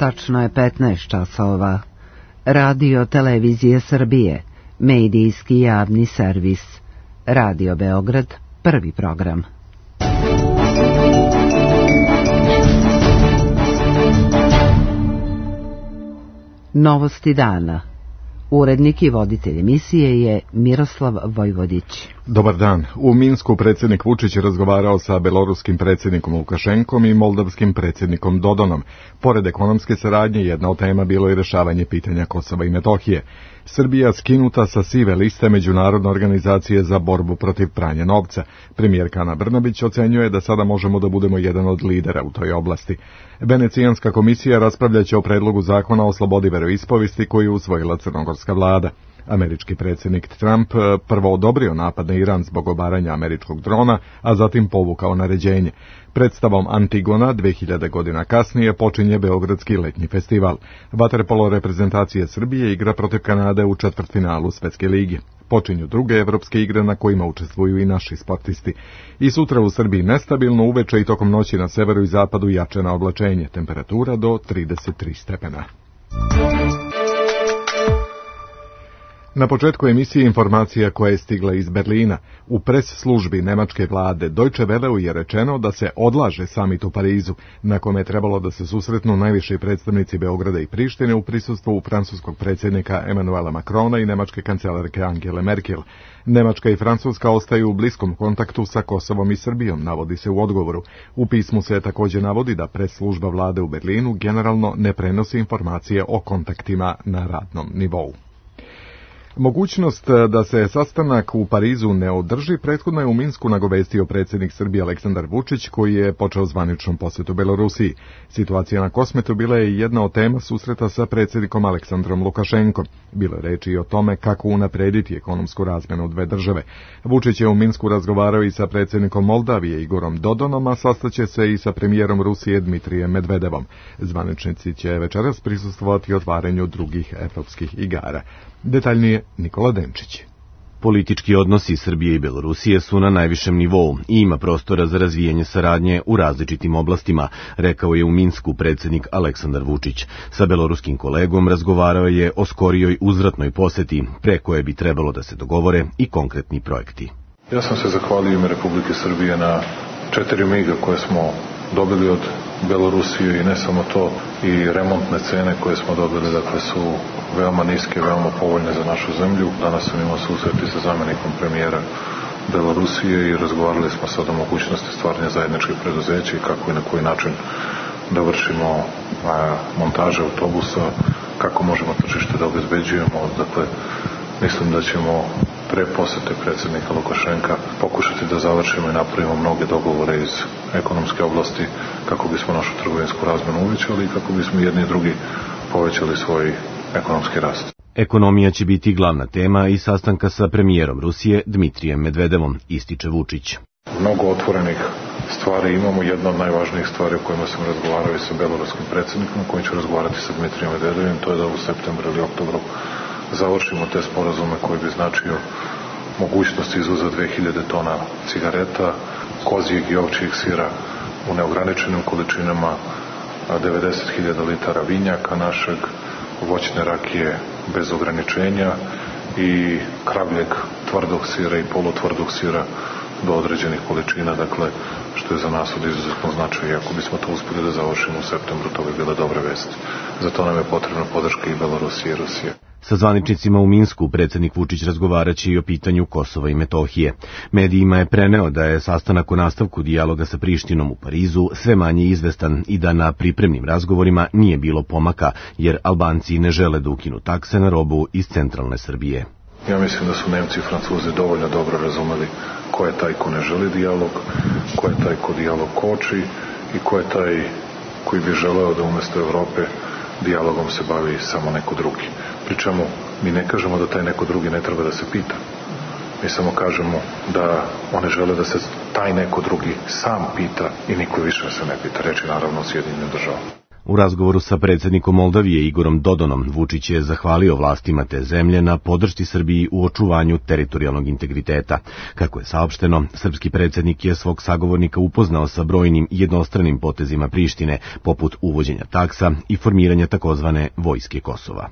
Tačno je 15 časova. Radio Televizije Srbije, medijski javni servis. Radio Beograd, prvi program. Novosti dana. Urednik i voditelj emisije je Miroslav Vojvodić. Dobar dan. U Minsku predsjednik Vučić razgovarao sa beloruskim predsjednikom Lukašenkom i moldavskim predsjednikom Dodonom. Pored ekonomske saradnje, jedna od tema bilo je rješavanje pitanja Kosova i Metohije. Srbija skinuta sa sive liste Međunarodne organizacije za borbu protiv pranja novca. Premijerka Ana Brnabić ocenjuje da sada možemo da budemo jedan od lidera u toj oblasti. Venecijanska komisija raspravljaće o predlogu zakona o slobodi veroispovesti koji je usvojila crnogorska vlada. Američki predsjednik Trump prvo odobrio napad na Iran zbog obaranja američkog drona, a zatim povukao naređenje. Predstavom Antigona 2000 godina kasnije počinje Beogradski letnji festival. Vaterpolo reprezentacije Srbije igra protiv Kanade u četvrtfinalu Svjetske lige. Počinju druge evropske igre na kojima učestvuju i naši sportisti. I sutra u Srbiji nestabilno, uveče i tokom noći na severu i zapadu jače na oblačenje, temperatura do 33 stepena. Na početku emisije informacija koja je stigla iz Berlina. U pres službi nemačke vlade Deutsche Welleu je rečeno da se odlaže samit u Parizu, na kome je trebalo da se susretnu najviši predstavnici Beograda i Prištine u prisustvu francuskog predsjednika Emmanuela Macrona i nemačke kancelarke Angele Merkel. Nemačka i Francuska ostaju u bliskom kontaktu sa Kosovom i Srbijom, navodi se u odgovoru. U pismu se također navodi da pres služba vlade u Berlinu generalno ne prenosi informacije o kontaktima na radnom nivou. Mogućnost da se sastanak u Parizu ne održi prethodno je u Minsku nagovestio predsjednik Srbije Aleksandar Vučić, koji je počeo zvaničnom posjetu Belorusiji. Situacija na Kosmetu bila je jedna od tema susreta sa predsjednikom Aleksandrom Lukašenkom. Bilo je reči i o tome kako unaprediti ekonomsku razmjenu dve države. Vučić je u Minsku razgovarao i sa predsjednikom Moldavije Igorom Dodonom, a sastaće se i sa premijerom Rusije Dmitrijem Medvedevom. Zvaničnici će večeras prisustvovati otvaranju drugih evropskih igara. Detaljnije Nikola Denčić. Politički odnosi Srbije i Belorusije su na najvišem nivou i ima prostora za razvijanje saradnje u različitim oblastima, rekao je u Minsku predsjednik Aleksandar Vučić. Sa beloruskim kolegom razgovarao je o skorijoj uzvratnoj poseti, pre koje bi trebalo da se dogovore i konkretni projekti. Ja sam se zahvalio ime Republike Srbije na 4 miga koje smo dobili od Belorusije i ne samo to, i remontne cene koje smo dobili, dakle, su veoma niske, veoma povoljne za našu zemlju. Danas sam imao susreti sa zamjenikom premijera Belorusije i razgovarali smo sad o mogućnosti stvaranja zajedničkih preduzeća i kako i na koji način da vršimo montaže autobusa, kako možemo tržište da obezbeđujemo. Dakle, mislim da ćemo pre posete predsjednika Lukašenka pokušati da završimo i napravimo mnoge dogovore iz ekonomske oblasti kako bismo našu trgovinsku razmjenu uvećali i kako bismo jedni i drugi povećali svoj ekonomski rast. Ekonomija će biti glavna tema i sastanka sa premijerom Rusije Dmitrijem Medvedevom, ističe Vučić. Mnogo otvorenih stvari imamo. Jedna od najvažnijih stvari o kojima sam razgovarao i sa beloruskim predsjednikom, kojim ću razgovarati sa Dmitrijem Medvedevim, to je da u septembru ili oktobru završimo te sporazume koji bi značio mogućnost izvoza 2000 tona cigareta, kozijeg i ovčijeg sira u neograničenim količinama, 90.000 litara vinjaka našeg, voćne rakije bez ograničenja i kravljeg tvrdog sira i polutvrdog sira do određenih količina, dakle, što je za nas od izuzetno značaja. Ako bismo to uspjeli da završimo u septembru, to bi bila dobra vest. Zato nam je potrebna podrška i Belorusije i Rusije. Sa zvaničnicima u Minsku predsjednik Vučić razgovaraće i o pitanju Kosova i Metohije. Medijima je preneo da je sastanak o nastavku dijaloga sa Prištinom u Parizu sve manje izvestan i da na pripremnim razgovorima nije bilo pomaka, jer Albanci ne žele da ukinu takse na robu iz centralne Srbije. Ja mislim da su Nemci i Francuzi dovoljno dobro razumeli ko je taj ko ne želi dijalog, ko je taj ko dijalog koči i ko je taj koji bi želeo da umjesto Evrope dijalogom se bavi samo neko drugi. Pričemu mi ne kažemo da taj neko drugi ne treba da se pita. Mi samo kažemo da one žele da se taj neko drugi sam pita i niko više se ne pita. Reči naravno o Sjedinjenim državama. U razgovoru sa predsjednikom Moldavije Igorom Dodonom, Vučić je zahvalio vlastima te zemlje na podršci Srbiji u očuvanju teritorijalnog integriteta. Kako je saopšteno, srpski predsjednik je svog sagovornika upoznao sa brojnim jednostranim potezima Prištine, poput uvođenja taksa i formiranja takozvane vojske Kosova.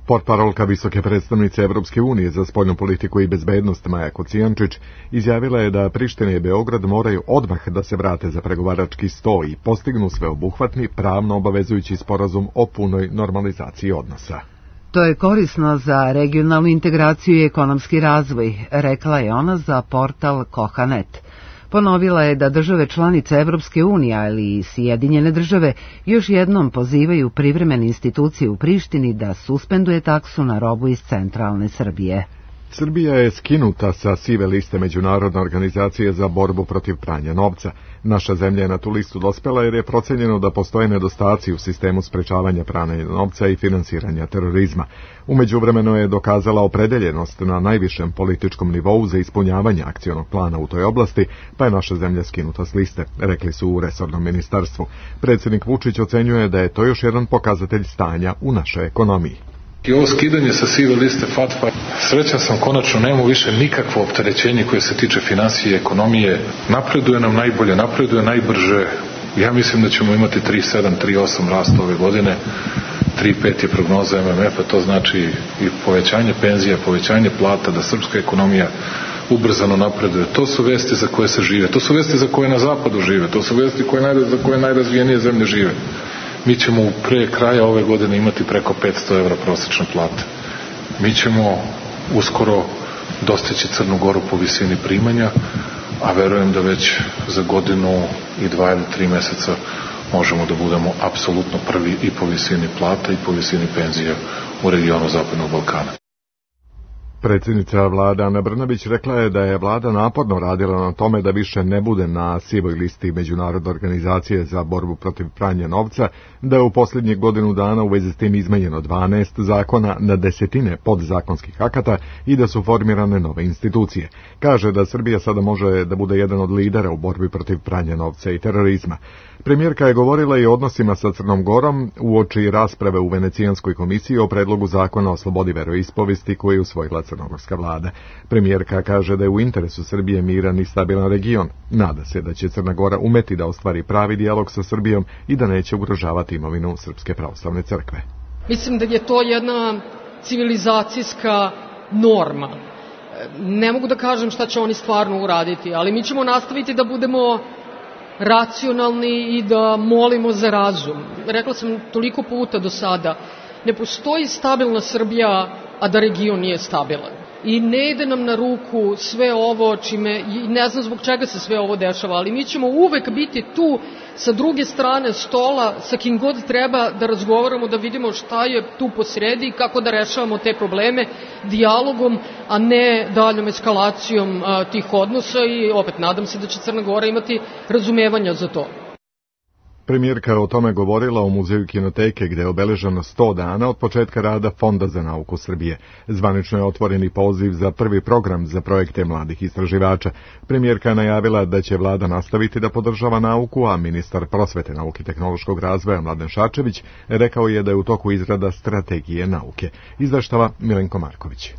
Portparolka visoke predstavnice Evropske unije za spoljnu politiku i bezbednost Maja Kocijančić izjavila je da Priština i Beograd moraju odmah da se vrate za pregovarački sto i postignu sveobuhvatni, pravno obavezujući sporazum o punoj normalizaciji odnosa. To je korisno za regionalnu integraciju i ekonomski razvoj, rekla je ona za portal Koha.net. Ponovila je da države članice Evropske unije, ali i Sjedinjene države, još jednom pozivaju privremene institucije u Prištini da suspenduje taksu na robu iz centralne Srbije. Srbija je skinuta sa sive liste Međunarodne organizacije za borbu protiv pranja novca. Naša zemlja je na tu listu dospela jer je procenjeno da postoje nedostaci u sistemu sprečavanja pranja novca i finansiranja terorizma. U međuvremenu je dokazala opredeljenost na najvišem političkom nivou za ispunjavanje akcionog plana u toj oblasti, pa je naša zemlja skinuta s liste, rekli su u resornom ministarstvu. Predsjednik Vučić ocenjuje da je to još jedan pokazatelj stanja u našoj ekonomiji. I ovo skidanje sa sive liste FATF-a, srećan sam, konačno nemamo više nikakvo opterećenje koje se tiče finansije i ekonomije. Napreduje nam najbolje, napreduje najbrže. Ja mislim da ćemo imati 3,7, 3,8 rasta ove godine. 3,5 je prognoza MMF-a, to znači i povećanje penzija, povećanje plata, da srpska ekonomija ubrzano napreduje. To su vesti za koje se žive, to su vesti za koje na zapadu žive, to su vesti za koje najrazvijenije zemlje žive. Mi ćemo pre kraja ove godine imati preko 500 evra prosječne plate. Mi ćemo uskoro dostići Crnu Goru po visini primanja, a verujem da već za godinu i 2 ili 3 meseca možemo da budemo apsolutno prvi i po visini plata i po visini penzija u regionu Zapadnog Balkana. Predsjednica vlade Ana Brnabić rekla je da je vlada naporno radila na tome da više ne bude na sivoj listi Međunarodne organizacije za borbu protiv pranja novca, da je u posljednjih godinu dana u vezi s tim izmenjeno 12 zakona na desetine podzakonskih akata i da su formirane nove institucije. Kaže da Srbija sada može da bude jedan od lidera u borbi protiv pranja novca i terorizma. Premijerka je govorila i o odnosima sa Crnom Gorom uoči rasprave u Venecijanskoj komisiji o predlogu zakona o slobodi veroispovesti koji je usvojila crnogorska vlada. Premijerka kaže da je u interesu Srbije miran i stabilan region. Nada se da će Crna Gora umeti da ostvari pravi dijalog sa Srbijom i da neće ugrožavati imovinu Srpske pravoslavne crkve. Mislim da je to jedna civilizacijska norma. Ne mogu da kažem šta će oni stvarno uraditi, ali mi ćemo nastaviti da budemo racionalni i da molimo za razum. Rekla sam toliko puta do sada, ne postoji stabilna Srbija, a da region nije stabilan. I ne ide nam na ruku sve ovo čime, ne znam zbog čega se sve ovo dešava, ali mi ćemo uvek biti tu sa druge strane stola, sa kim god treba da razgovaramo, da vidimo šta je tu posredi i kako da rešavamo te probleme dijalogom, a ne daljom eskalacijom tih odnosa i opet nadam se da će Crna Gora imati razumevanja za to. Premijerka je o tome govorila u Muzeju Kinoteke, gde je obeleženo 100 dana od početka rada Fonda za nauku Srbije. Zvanično je otvoreni poziv za prvi program za projekte mladih istraživača. Premijerka je najavila da će vlada nastaviti da podržava nauku, a ministar prosvete, nauke i tehnološkog razvoja Mladen Šarčević rekao je da je u toku izrada strategije nauke. Izveštava Milenko Marković.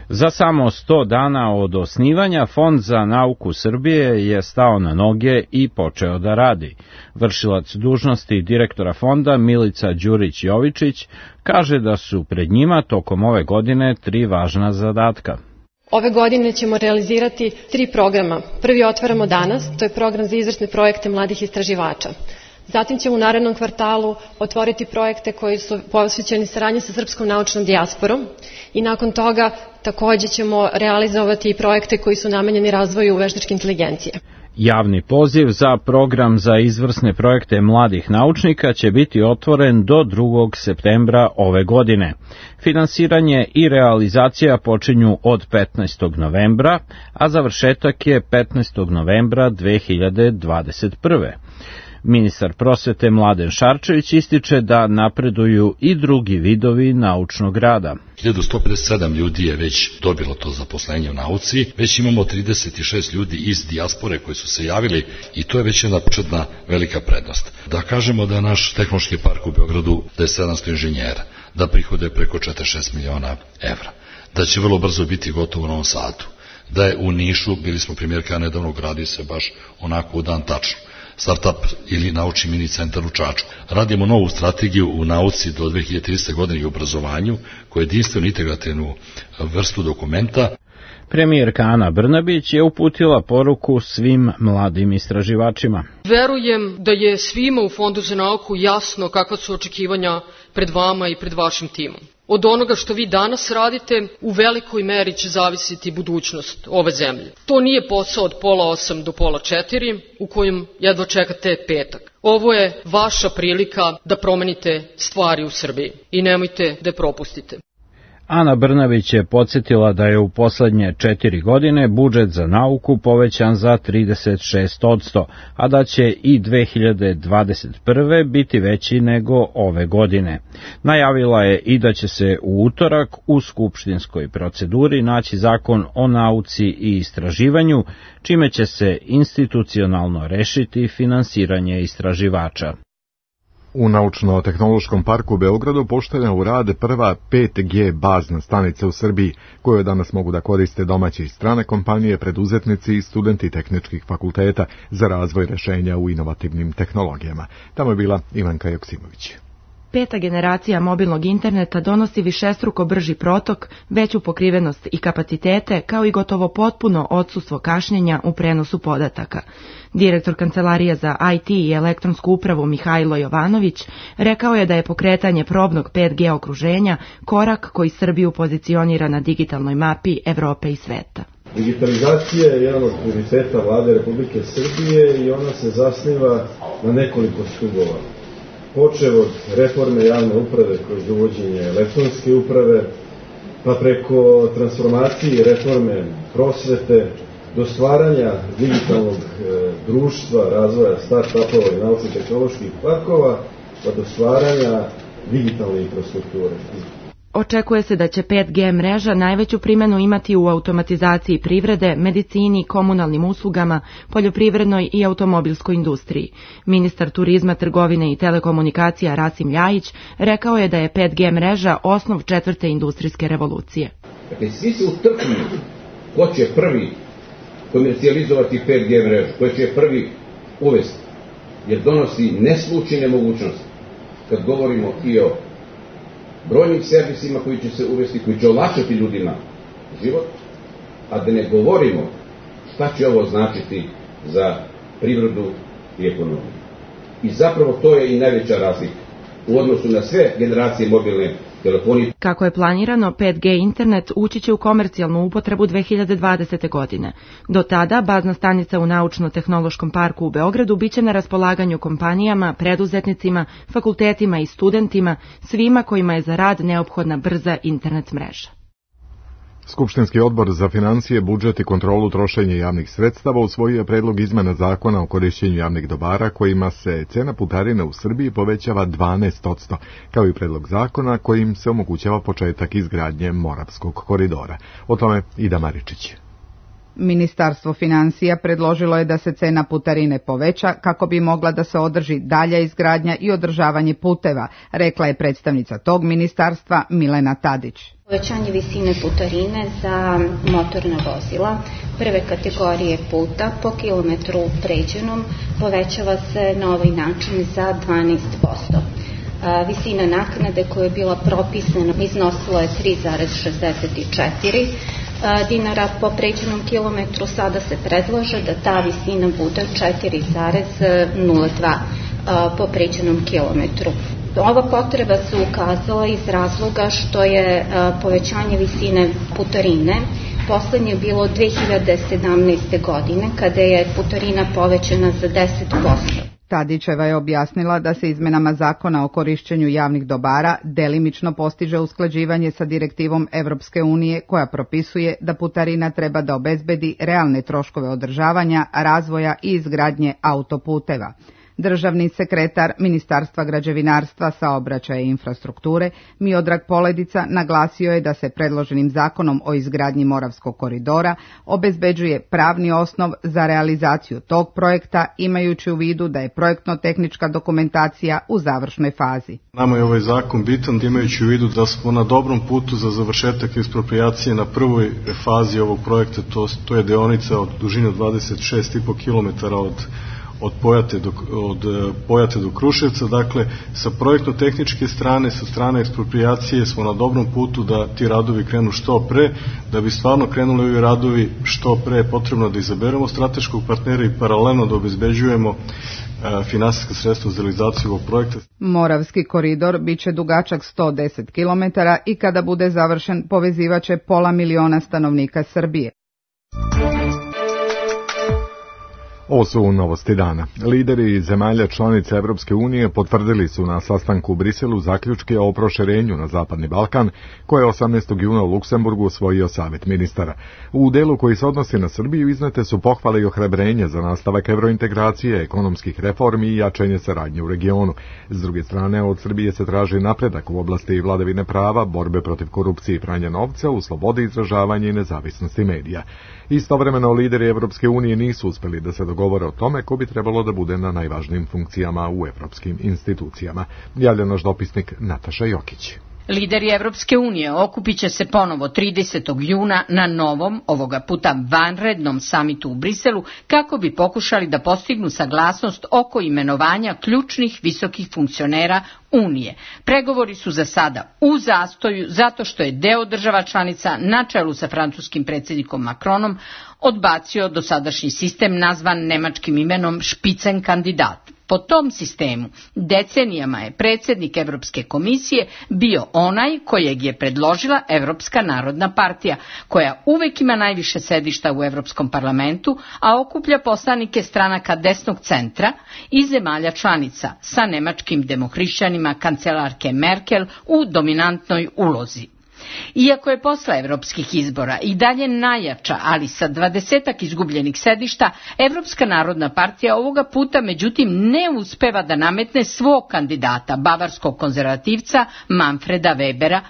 Za samo 100 dana od osnivanja Fond za nauku Srbije je stao na noge i počeo da radi. Vršilac dužnosti direktora fonda Milica Đurić-Jovičić kaže da su pred njima tokom ove godine 3 važna zadatka. Ove godine ćemo realizirati 3 programa. Prvi otvaramo danas, to je program za izvrsne projekte mladih istraživača. Zatim ćemo u narednom kvartalu otvoriti projekte koji su posvećeni saradnji sa srpskom naučnom dijasporom i nakon toga takođe ćemo realizovati i projekte koji su namenjeni razvoju veštačke inteligencije. Javni poziv za program za izvrsne projekte mladih naučnika će biti otvoren do 2. septembra ove godine. Finansiranje i realizacija počinju od 15. novembra, a završetak je 15. novembra 2021. Ministar prosvete Mladen Šarčević ističe da napreduju i drugi vidovi naučnog rada. 1157 ljudi je već dobilo to zaposlenje u nauci, već imamo 36 ljudi iz dijaspore koji su se javili i to je već jedna početna velika prednost. Da kažemo da naš tehnološki park u Beogradu da je 700 inženjera, da prihode preko 46 miliona evra, da će vrlo brzo biti gotovo u Novom Sadu, da je u Nišu, bili smo primjerka nedavno, gradi se baš onako u dan tačno, startup ili naučni mini centar u Čačku. Radimo novu strategiju u nauci do 2030. godine i obrazovanju, koja je jedinstvenu integrativnu vrstu dokumenta. Premijerka Ana Brnabić je uputila poruku svim mladim istraživačima. Verujem da je svima u Fondu za nauku jasno kakva su očekivanja pred vama i pred vašim timom. Od onoga što vi danas radite, u velikoj meri će zavisiti budućnost ove zemlje. To nije posao od 7:30 do 15:30, u kojem jedva čekate petak. Ovo je vaša prilika da promenite stvari u Srbiji i nemojte da je propustite. Ana Brnabić je podsjetila da je u poslednje 4 godine budžet za nauku povećan za 36%, a da će i 2021. biti veći nego ove godine. Najavila je i da će se u utorak u skupštinskoj proceduri naći zakon o nauci i istraživanju, čime će se institucionalno rešiti finansiranje istraživača. U Naučno-tehnološkom parku u Beogradu postavljena u rad prva 5G bazna stanica u Srbiji, koju danas mogu da koriste domaće i strane kompanije, preduzetnici i studenti tehničkih fakulteta za razvoj rešenja u inovativnim tehnologijama. Tamo je bila Ivanka Joksimović. 5. generacija mobilnog interneta donosi višestruko brži protok, veću pokrivenost i kapacitete, kao i gotovo potpuno odsustvo kašnjenja u prenosu podataka. Direktor Kancelarije za IT i elektronsku upravu Mihajlo Jovanović rekao je da je pokretanje probnog 5G okruženja korak koji Srbiju pozicionira na digitalnoj mapi Evrope i sveta. Digitalizacija je jedan od prioriteta Vlade Republike Srbije i ona se zasniva na nekoliko stubova. Počev od reforme javne uprave kroz uvođenje elektronske uprave, pa preko transformacije i reforme prosvete, do stvaranja digitalnog društva, razvoja start-upova i naučno-tehnoloških parkova, pa do stvaranja digitalne infrastrukture. Očekuje se da će 5G mreža najveću primjenu imati u automatizaciji privrede, medicini, komunalnim uslugama, poljoprivrednoj i automobilskoj industriji. Ministar turizma, trgovine i telekomunikacija Rasim Ljajić rekao je da je 5G mreža osnov 4. industrijske revolucije. Dakle, svi se utrkuju ko će prvi komercijalizovati 5G mrežu, ko će prvi uvesti, jer donosi neslučajne mogućnosti. Kad govorimo i o brojnim servisima koji će se uvesti, koji će olakšati ljudima život, a da ne govorimo šta će ovo značiti za privredu i ekonomiju. I zapravo to je i najveća razlika u odnosu na sve generacije mobilne telefonije. Kako je planirano, 5G internet ući će u komercijalnu upotrebu 2020. godine. Do tada bazna stanica u Naučno-tehnološkom parku u Beogradu biće na raspolaganju kompanijama, preduzetnicima, fakultetima i studentima, svima kojima je za rad neophodna brza internet mreža. Skupštinski odbor za financije, budžet i kontrolu trošenja javnih sredstava usvojio je predlog izmena zakona o korišćenju javnih dobara kojima se cena putarine u Srbiji povećava 12%, kao i predlog zakona kojim se omogućava početak izgradnje Moravskog koridora. O tome Ida Maričić. Ministarstvo financija predložilo je da se cena putarine poveća kako bi mogla da se održi dalja izgradnja i održavanje puteva, rekla je predstavnica tog ministarstva Milena Tadić. Povećanje visine putarine za motorna vozila prve kategorije puta po kilometru pređenom povećava se na ovaj način za 12%. Visina naknade koja je bila propisana iznosila je 3,64 dinara po pređenom kilometru, sada se predlaže da ta visina bude 4,02 po pređenom kilometru. Ova potreba se ukazala iz razloga što je povećanje visine putarine poslednje bilo 2017. godine, kada je putarina povećana za 10%. Tadićeva je objasnila da se izmenama zakona o korišćenju javnih dobara delimično postiže usklađivanje sa direktivom Evropske unije koja propisuje da putarina treba da obezbedi realne troškove održavanja, razvoja i izgradnje autoputeva. Državni sekretar Ministarstva građevinarstva, saobraćaja i infrastrukture Miodrag Poledica naglasio je da se predloženim zakonom o izgradnji Moravskog koridora obezbeđuje pravni osnov za realizaciju tog projekta, imajući u vidu da je projektno-tehnička dokumentacija u završnoj fazi. Nama je ovaj zakon bitan imajući u vidu da smo na dobrom putu za završetak eksproprijacije na prvoj fazi ovog projekta, to je deonica od dužine 26,5 km od Pojate do Kruševca. Dakle, sa projektno-tehničke strane, sa strane eksproprijacije smo na dobrom putu da ti radovi krenu što pre. Da bi stvarno krenuli ovi radovi što pre je potrebno da izaberemo strateškog partnera i paralelno da obezbeđujemo finansijska sredstva za realizaciju ovog projekta. Moravski koridor biće dugačak 110 km i kada bude završen povezivaće 500.000 stanovnika Srbije. Ovo su novosti dana. Lideri zemalja članica Evropske unije potvrdili su na sastanku u Briselu zaključke o proširenju na Zapadni Balkan, koje je 18. juna u Luksemburgu usvojio Savet ministara. U delu koji se odnosi na Srbiju iznete su pohvale i ohrabrenje za nastavak evrointegracije, ekonomskih reformi i jačanje saradnje u regionu. S druge strane, od Srbije se traži napredak u oblasti vladavine prava, borbe protiv korupcije i pranja novca, u slobodi izražavanja i nezavisnosti medija. Istovremeno, lideri Evropske unije nisu uspeli da se dogovore o tome ko bi trebalo da bude na najvažnijim funkcijama u evropskim institucijama. Javlja naš dopisnik Nataša Jokić. Lideri Evropske unije okupit će se ponovo 30. juna na novom, ovoga puta vanrednom samitu u Briselu, kako bi pokušali da postignu saglasnost oko imenovanja ključnih visokih funkcionera Unije. Pregovori su za sada u zastoju zato što je deo država članica na čelu sa francuskim predsjednikom Macronom odbacio dosadašnji sistem nazvan nemačkim imenom Spitzenkandidat. Po tom sistemu decenijama je predsjednik Evropske komisije bio onaj kojeg je predložila Evropska narodna partija, koja uvek ima najviše sedišta u Evropskom parlamentu, a okuplja poslanike stranaka desnog centra i zemalja članica sa nemačkim demohrišćanima kancelarke Merkel u dominantnoj ulozi. Iako je posle evropskih izbora i dalje najjača, ali sa 20 izgubljenih sedišta, Evropska narodna partija ovoga puta međutim ne uspeva da nametne svog kandidata, bavarskog konzervativca Manfreda Webera,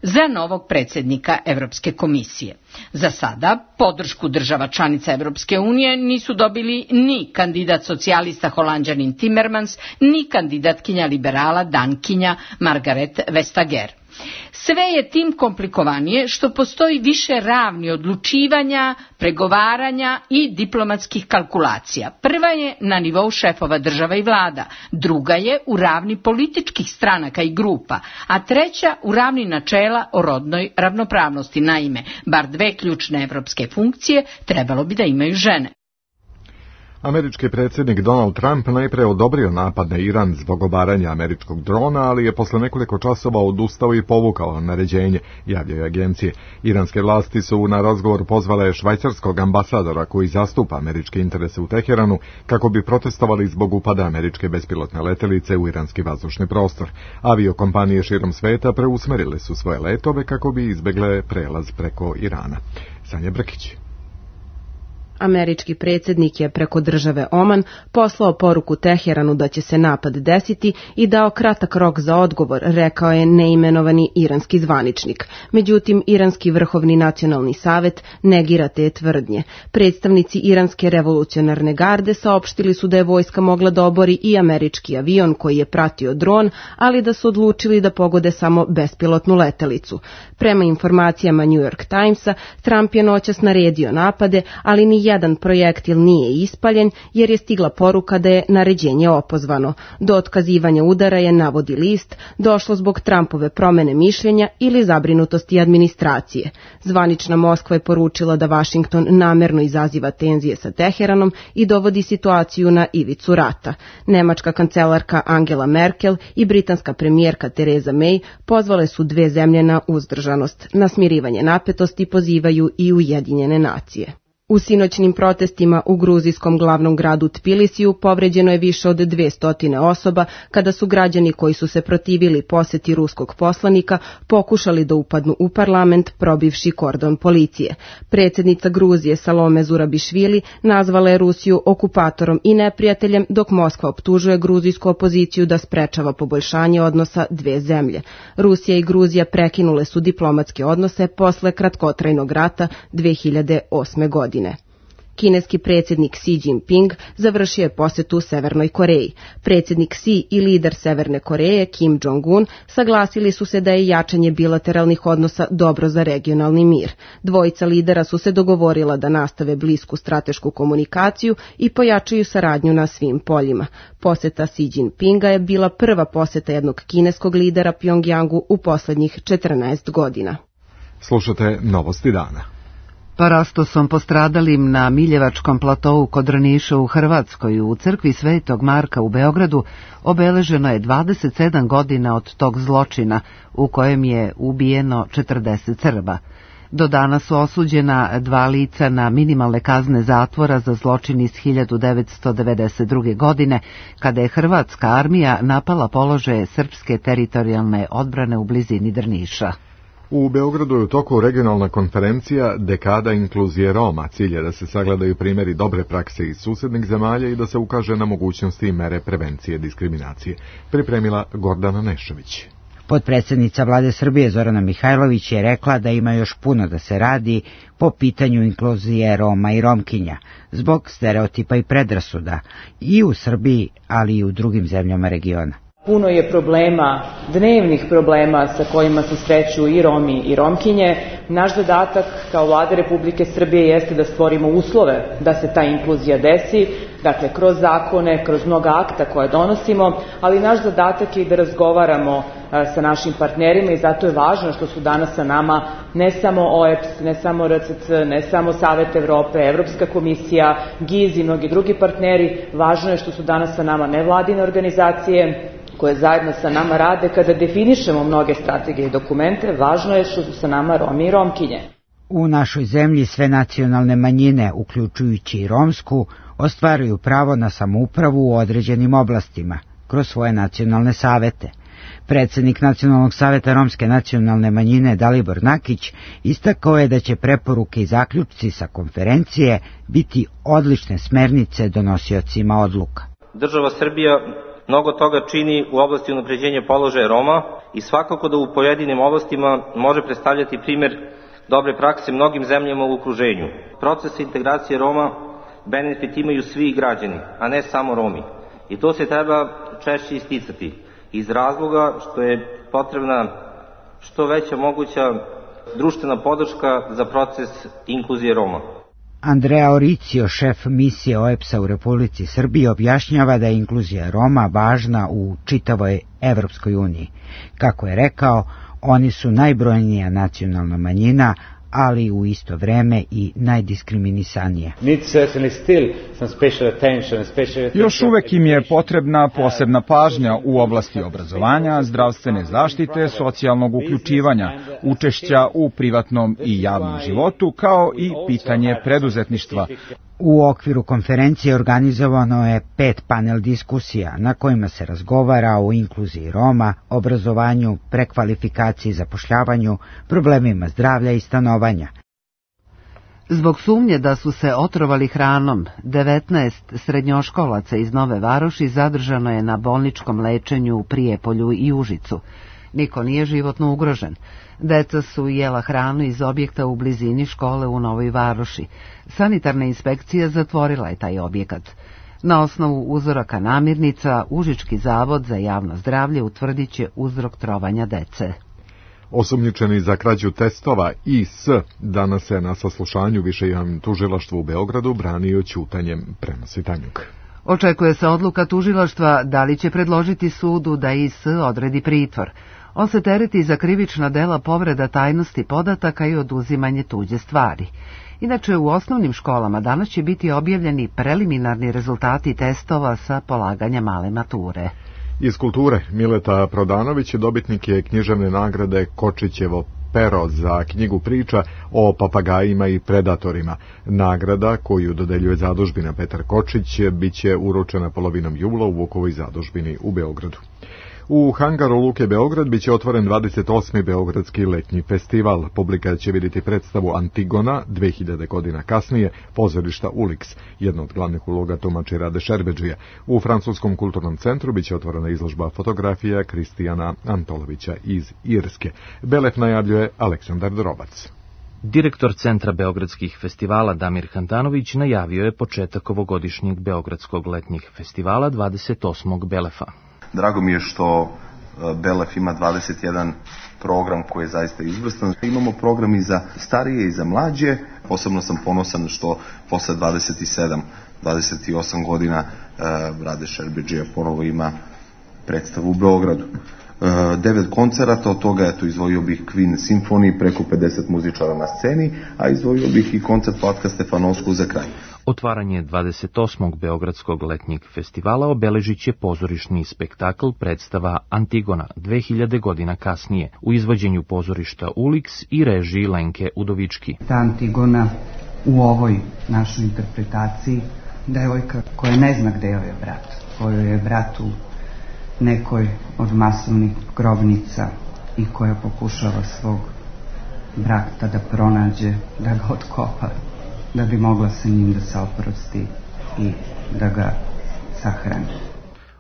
za novog predsjednika Evropske komisije. Za sada podršku država članica Evropske unije nisu dobili ni kandidat socijalista Holanđanin Timmermans, ni kandidatkinja liberala Dankinja Margaret Vestager. Sve je tim komplikovanije što postoji više ravni odlučivanja, pregovaranja i diplomatskih kalkulacija. Prva je na nivou šefova država i vlada, druga je u ravni političkih stranaka i grupa, a treća u ravni načela o rodnoj ravnopravnosti. Naime, bar dve ključne evropske funkcije trebalo bi da imaju žene. Američki predsjednik Donald Trump najprije odobrio napad na Iran zbog obaranja američkog drona, ali je posle nekoliko časova odustao i povukao naređenje, javljaju agencije. Iranske vlasti su na razgovor pozvale švajcarskog ambasadora koji zastupa američke interese u Teheranu kako bi protestovali zbog upada američke bespilotne letelice u iranski vazdušni prostor. Aviokompanije širom sveta preusmerile su svoje letove kako bi izbegle prelaz preko Irana. Sanja Brkić. Američki predsjednik je preko države Oman poslao poruku Teheranu da će se napad desiti i dao kratak rok za odgovor, rekao je neimenovani iranski zvaničnik. Međutim, Iranski vrhovni nacionalni savet negira te tvrdnje. Predstavnici Iranske revolucionarne garde saopštili su da je vojska mogla da obori i američki avion koji je pratio dron, ali da su odlučili da pogode samo bespilotnu letelicu. Prema informacijama New York Timesa, Trump je noćas naredio napade, ali ni jedan projektil nije ispaljen jer je stigla poruka da je naređenje opozvano. Do otkazivanja udara je, navodi list, došlo zbog Trumpove promene mišljenja ili zabrinutosti administracije. Zvanična Moskva je poručila da Washington namerno izaziva tenzije sa Teheranom i dovodi situaciju na ivicu rata. Nemačka kancelarka Angela Merkel i britanska premijerka Theresa May pozvale su dve zemlje na uzdržanost. Na smirivanje napetosti pozivaju i Ujedinjene nacije. U sinoćnim protestima u gruzijskom glavnom gradu Tbilisiju povređeno je više od 200 osoba kada su građani koji su se protivili poseti ruskog poslanika pokušali da upadnu u parlament probivši kordon policije. Predsjednica Gruzije Salome Zurabišvili nazvala je Rusiju okupatorom i neprijateljem, dok Moskva optužuje gruzijsku opoziciju da sprečava poboljšanje odnosa dve zemlje. Rusija i Gruzija prekinule su diplomatske odnose posle kratkotrajnog rata 2008. godine. Kineski predsjednik Xi Jinping završio je posetu Severnoj Koreji. Predsjednik Xi i lider Severne Koreje Kim Jong-un saglasili su se da je jačanje bilateralnih odnosa dobro za regionalni mir. Dvojica lidera su se dogovorila da nastave blisku stratešku komunikaciju i pojačaju saradnju na svim poljima. Poseta Xi Jinpinga je bila prva poseta jednog kineskog lidera Pjongjangu u poslednjih 14 godina. Slušate Novosti dana. Parastosom postradalim na Miljevačkom platovu kod Drniša u Hrvatskoj u crkvi Svetog Marka u Beogradu obeleženo je 27 godina od tog zločina u kojem je ubijeno 40 Srba. Do dana su osuđena 2 lica na minimalne kazne zatvora za zločin iz 1992. godine, kada je hrvatska armija napala položaje srpske teritorijalne odbrane u blizini Drniša. U Beogradu je u toku regionalna konferencija Dekada inkluzije Roma. Cilj je da se sagledaju primjeri dobre prakse iz susednih zemalja i da se ukaže na mogućnosti i mere prevencije diskriminacije. Pripremila Gordana Nešović. Potpredsjednica Vlade Srbije Zorana Mihajlović je rekla da ima još puno da se radi po pitanju inkluzije Roma i Romkinja, zbog stereotipa i predrasuda i u Srbiji, ali i u drugim zemljama regiona. Puno je problema, dnevnih problema sa kojima se sreću i Romi i Romkinje. Naš zadatak kao Vlade Republike Srbije jeste da stvorimo uslove da se ta inkluzija desi, dakle kroz zakone, kroz mnoga akta koje donosimo, ali naš zadatak je i da razgovaramo sa našim partnerima i zato je važno što su danas sa nama ne samo OEBS, ne samo RCC, ne samo Savet Evrope, Evropska komisija, GIZ i mnogi drugi partneri. Važno je što su danas sa nama nevladine organizacije koje zajedno sa nama rade kada definišemo mnoge strategije i dokumente. Važno je što su sa nama Romi i Romkinje. U našoj zemlji sve nacionalne manjine, uključujući i romsku, ostvaruju pravo na samoupravu u određenim oblastima, kroz svoje nacionalne savete. Predsjednik Nacionalnog saveta romske nacionalne manjine Dalibor Nakić istakao je da će preporuke i zaključci sa konferencije biti odlične smernice donosiocima odluka. Država Srbija mnogo toga čini u oblasti unapređenja položaja Roma i svakako da u pojedinim oblastima može predstavljati primjer dobre prakse mnogim zemljama u okruženju. Proces integracije Roma benefit imaju svi građani, a ne samo Romi. I to se treba češće isticati iz razloga što je potrebna što veća moguća društvena podrška za proces inkluzije Roma. Andrea Oricio, šef misije OEBS-a u Republici Srbiji, objašnjava da je inkluzija Roma važna u čitavoj Evropskoj uniji. Kako je rekao, oni su najbrojnija nacionalna manjina, ali u isto vreme i najdiskriminisanije. Još uvek im je potrebna posebna pažnja u oblasti obrazovanja, zdravstvene zaštite, socijalnog uključivanja, učešća u privatnom i javnom životu, kao i pitanje preduzetništva. U okviru konferencije organizovano je 5 panel diskusija na kojima se razgovara o inkluziji Roma, obrazovanju, prekvalifikaciji i zapošljavanju, problemima zdravlja i stanovanja. Zbog sumnje da su se otrovali hranom, 19 srednjoškolaca iz Nove Varoši zadržano je na bolničkom lečenju u Prijepolju i Užicu. Niko nije životno ugrožen. Deca su jela hranu iz objekta u blizini škole u Novoj Varoši. Sanitarna inspekcija zatvorila je taj objekat. Na osnovu uzoraka namirnica, Užički zavod za javno zdravlje utvrdit će uzrok trovanja dece. Osumnjičeni za krađu testova IS danas se na saslušanju Više javnom tužilaštvu u Beogradu branio ćutanjem, prenosi Tanjuk. Očekuje se odluka tužilaštva da li će predložiti sudu da IS odredi pritvor. On se tereti za krivična dela povreda tajnosti podataka i oduzimanje tuđe stvari. Inače, u osnovnim školama danas će biti objavljeni preliminarni rezultati testova sa polaganja male mature. Iz kulture, Mileta Prodanović, dobitnik je književne nagrade Kočićevo pero za knjigu priča o papagajima i predatorima. Nagrada koju dodeljuje zadužbina Petar Kočić biće uručena polovinom jula u Vukovoj zadužbini u Beogradu. U hangaru Luke Beograd biće otvoren 28. Beogradski letnji festival. Publika će vidjeti predstavu Antigona 2000 godina kasnije, pozorišta Ulix, jedna od glavnih uloga tumači Rade Šerbedžija. U Francuskom kulturnom centru biće otvorena izložba fotografija Kristijana Antolovića iz Irske. Belef najavljuje Aleksandar Drobac. Direktor Centra beogradskih festivala Damir Handanović najavio je početak ovogodišnjeg Beogradskog letnjih festivala 28. Belefa. Drago mi je što Belef ima 21 program koji je zaista izvrstan. Imamo program i za starije i za mlađe. Posebno sam ponosan što posle 28 godina Rade Šerbedžija ponovo ima predstavu u Beogradu. 9 koncerata, od toga izdvojio bih Queen Symphony, preko 50 muzičara na sceni, a izdvojio bih i koncert Vlatka Stefanovsku za kraj. Otvaranje 28. Beogradskog letnjeg festivala obeležit će pozorišni spektakl predstava Antigona 2000 godina kasnije u izvođenju pozorišta Ulix i režiji Lenke Udovički. Ta Antigona u ovoj našoj interpretaciji, devojka koja ne zna gde joj je brat, kojoj je brat u nekoj od masovnih grobnica i koja pokušava svog brata da pronađe, da ga otkopa, da bi mogla sa njim da se oprosti i da ga sahrani.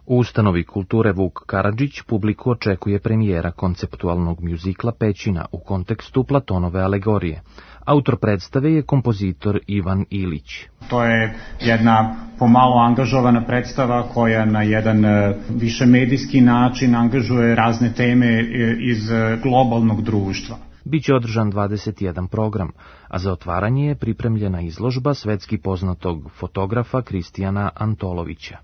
U ustanovi kulture Vuk Karadžić publiku očekuje premijera konceptualnog mjuzikla Pećina u kontekstu Platonove alegorije. Autor predstave je kompozitor Ivan Ilić. To je jedna pomalo angažovana predstava koja na jedan višemedijski način angažuje razne teme iz globalnog društva. Biće održan 21 program, a za otvaranje je pripremljena izložba svetski poznatog fotografa Kristijana Antolovića.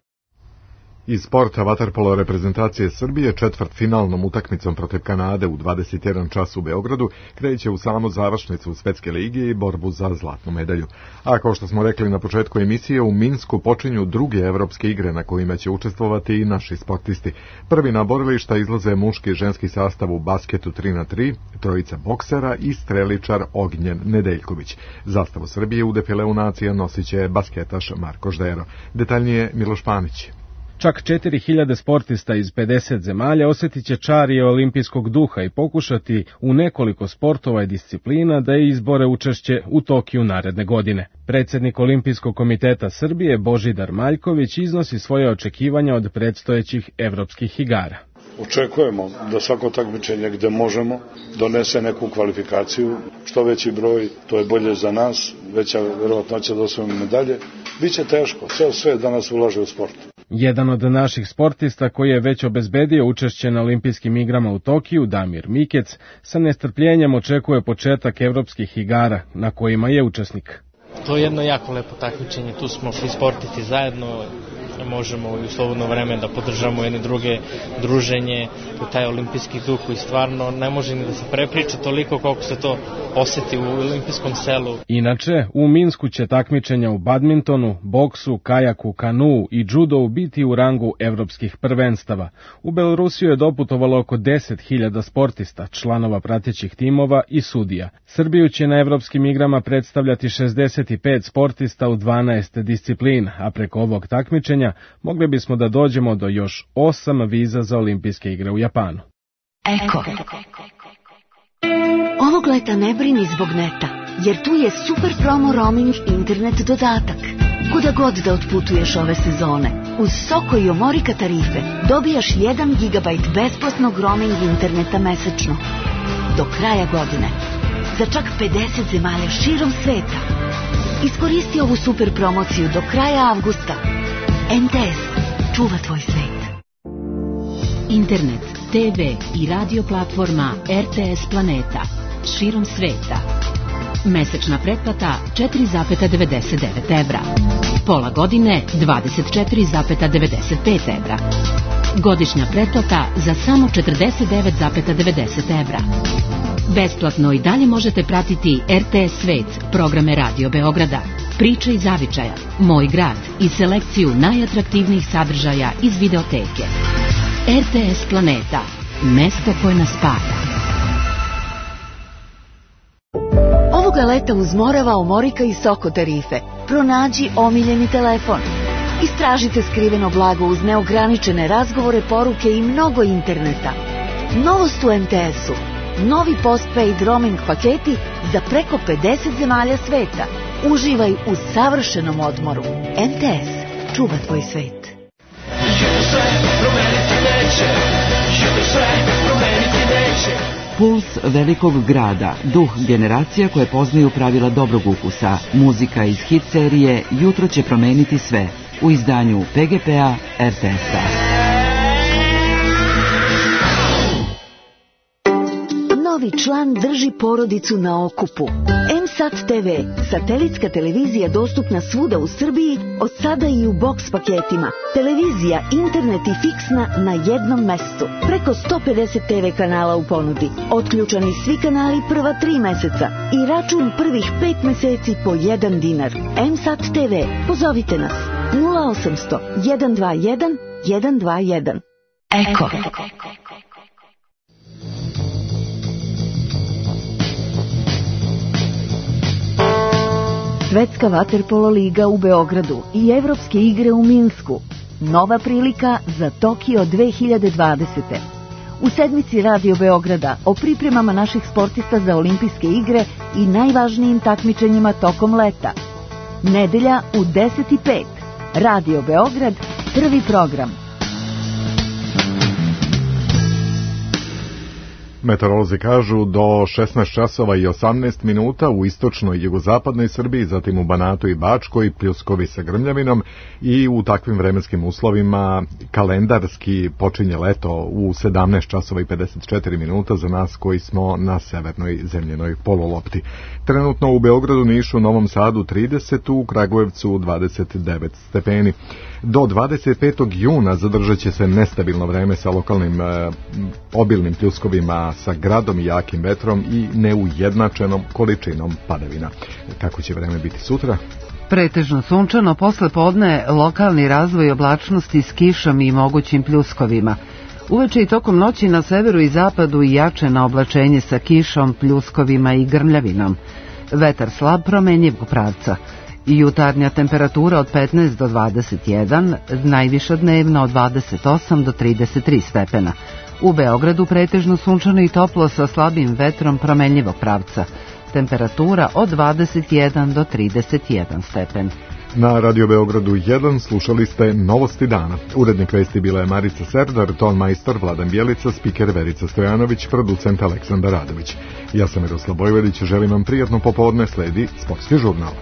Iz sporta vaterpolo reprezentacije Srbije četvrtfinalnom utakmicom protiv Kanade u 21 čas u Beogradu kreće u samu završnicu Svetske lige i borbu za zlatnu medalju. A kao što smo rekli na početku emisije, u Minsku počinju druge evropske igre na kojima će učestvovati i naši sportisti. Prvi na borilišta izlaze muški i ženski sastav u basketu 3x3, trojica boksera i streličar Ognjen Nedeljković. Zastavu Srbije u defileu nacija nosit će basketaš Marko Ždero. Detaljnije Miloš Panić. Čak 4000 sportista iz 50 zemalja osjetit će čarije olimpijskog duha i pokušati u nekoliko sportova i disciplina da izbore učešće u Tokiju naredne godine. Predsjednik Olimpijskog komiteta Srbije Božidar Maljković iznosi svoje očekivanja od predstojećih evropskih igara. Očekujemo da svako takmičenje gde možemo donese neku kvalifikaciju, što veći broj, to je bolje za nas, veća verovatnoća da osvojimo medalje. Biće teško, sve danas ulaže u sport. Jedan od naših sportista koji je već obezbedio učešće na olimpijskim igrama u Tokiju, Damir Mikec, sa nestrpljenjem očekuje početak evropskih igara na kojima je učesnik. To je jedno jako lepo takmičenje, tu smo svi sportisti zajedno, možemo i u slobodno vreme da podržamo jedne druge, druženje, taj olimpijski duh koji stvarno ne može ni da se prepriča toliko koliko se to osjeti u olimpijskom selu. Inače, u Minsku će takmičenja u badmintonu, boksu, kajaku, kanuu i džudou biti u rangu evropskih prvenstava. U Belorusiju je doputovalo oko 10.000 sportista, članova pratećih timova i sudija. Srbiju će na evropskim igrama predstavljati 65 sportista u 12 disciplina, a preko ovog takmičenja mogli bismo da dođemo do još 8 viza za olimpijske igre u Japanu. Eko. Ovog leta ne brini zbog neta, jer tu je super promo roaming internet dodatak. Kuda god da otputuješ ove sezone, uz Soko i Omorika tarife dobijaš 1 GB besplatnog roaming interneta mesečno. Do kraja godine. Za čak 50 zemalja širom sveta. Iskoristi ovu super promociju do kraja avgusta. MTS čuva tvoj svet. Internet, TV i radio platforma RTS Planeta širom sveta. Mesečna pretplata 4,99 evra. Pola godine 24,95 evra. Godišnja pretplata za samo 49,90 evra. Besplatno i dalje možete pratiti RTS Svet, programe Radio Beograda, Priče iz Zavičaja, Moj grad i selekciju najatraktivnijih sadržaja iz videoteke. RTS Planeta, mesto koje nas spaja. Ovoga leta uz Morava, Omorika i Soko tarife. Pronađi omiljeni telefon. Istražite skriveno blago uz neograničene razgovore, poruke i mnogo interneta. Novost u MTS-u. Novi postpaid roaming paketi za preko 50 zemalja sveta. Uživaj u savršenom odmoru. MTS. Čuva tvoj svet. Puls velikog grada, duh generacija koje poznaju pravila dobrog ukusa. Muzika iz hit serije Jutro će promeniti sve u izdanju PGP-a RTS-a. Novi član drži porodicu na okupu. M-Sat TV, satelitska televizija dostupna svuda u Srbiji, od sada i u boks paketima. Televizija, internet i fiksna na jednom mestu. Preko 150 TV kanala u ponudi. Otključani svi kanali prva 3 meseca i račun prvih 5 meseci po 1 dinar. M-Sat TV, pozovite nas 0800 121 121. Eko. Svetska vaterpolo liga u Beogradu i Evropske igre u Minsku. Nova prilika za Tokio 2020. U sedmici Radio Beograda o pripremama naših sportista za olimpijske igre i najvažnijim takmičenjima tokom leta. Nedelja u 10:05. Radio Beograd, prvi program. Meteorolozi kažu do 16 časova i 18 minuta u istočnoj i jugozapadnoj Srbiji, zatim u Banatu i Bačkoj, pljuskovi sa grmljavinom i u takvim vremenskim uslovima kalendarski počinje leto u 17 časova i 54 minuta za nas koji smo na severnoj zemljenoj polulopti. Trenutno u Beogradu, Nišu, Novom Sadu 30, u Kragujevcu 29 stepeni. Do 25. juna zadržat će se nestabilno vreme sa lokalnim obilnim pljuskovima, sa gradom i jakim vetrom i neujednačenom količinom padavina. Kako će vreme biti sutra? Pretežno sunčano, posle podne lokalni razvoj oblačnosti s kišom i mogućim pljuskovima. Uveče i tokom noći na severu i zapadu jače na oblačenje sa kišom, pljuskovima i grmljavinom. Vetar slab promenjivog pravca. Jutarnja temperatura od 15 do 21, najviša dnevna od 28 do 33 stepena. U Beogradu pretežno sunčano i toplo sa slabim vetrom promenljivog pravca. Temperatura od 21 do 31 stepen. Na Radio Beogradu 1 slušali ste Novosti dana. Urednik vesti bila je Marica Serdar, ton majstor Vladan Bjelica, spiker Verica Stojanović, producent Aleksandar Radović. Ja sam Miroslav Bojvedić, želim vam prijatno popodne, sledi Sportski žurnal.